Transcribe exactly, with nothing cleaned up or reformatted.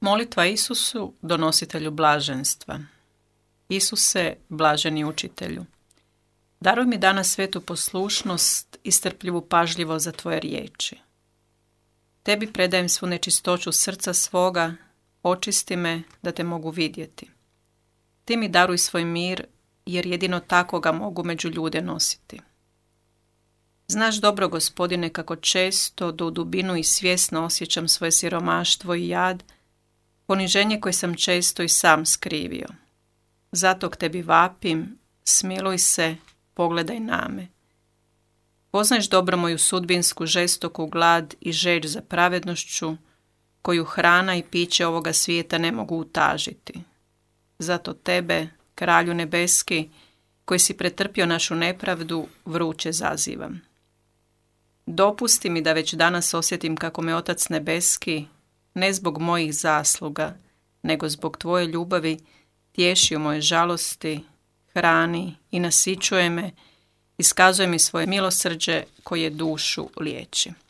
Molitva Isusu, donositelju blaženstva. Isuse, blaženi učitelju, daruj mi danas svetu poslušnost i strpljivu pažljivost za tvoje riječi. Tebi predajem svu nečistoću srca svoga, očisti me da te mogu vidjeti. Ti mi daruj svoj mir, jer jedino tako ga mogu među ljude nositi. Znaš dobro, Gospodine, kako često do u dubinu i svjesno osjećam svoje siromaštvo i jad, poniženje koje sam često i sam skrivio. Zato k tebi vapim, smiluj se, pogledaj na me. Poznaješ dobro moju sudbinsku žestoku glad i žeđ za pravednošću, koju hrana i piće ovoga svijeta ne mogu utažiti. Zato tebe, Kralju nebeski, koji si pretrpio našu nepravdu, vruće zazivam. Dopusti mi da već danas osjetim kako me Otac nebeski, ne zbog mojih zasluga, nego zbog tvoje ljubavi, tješi u moje žalosti, hrani i nasićuje me, iskazuje mi svoje milosrđe koje dušu liječi.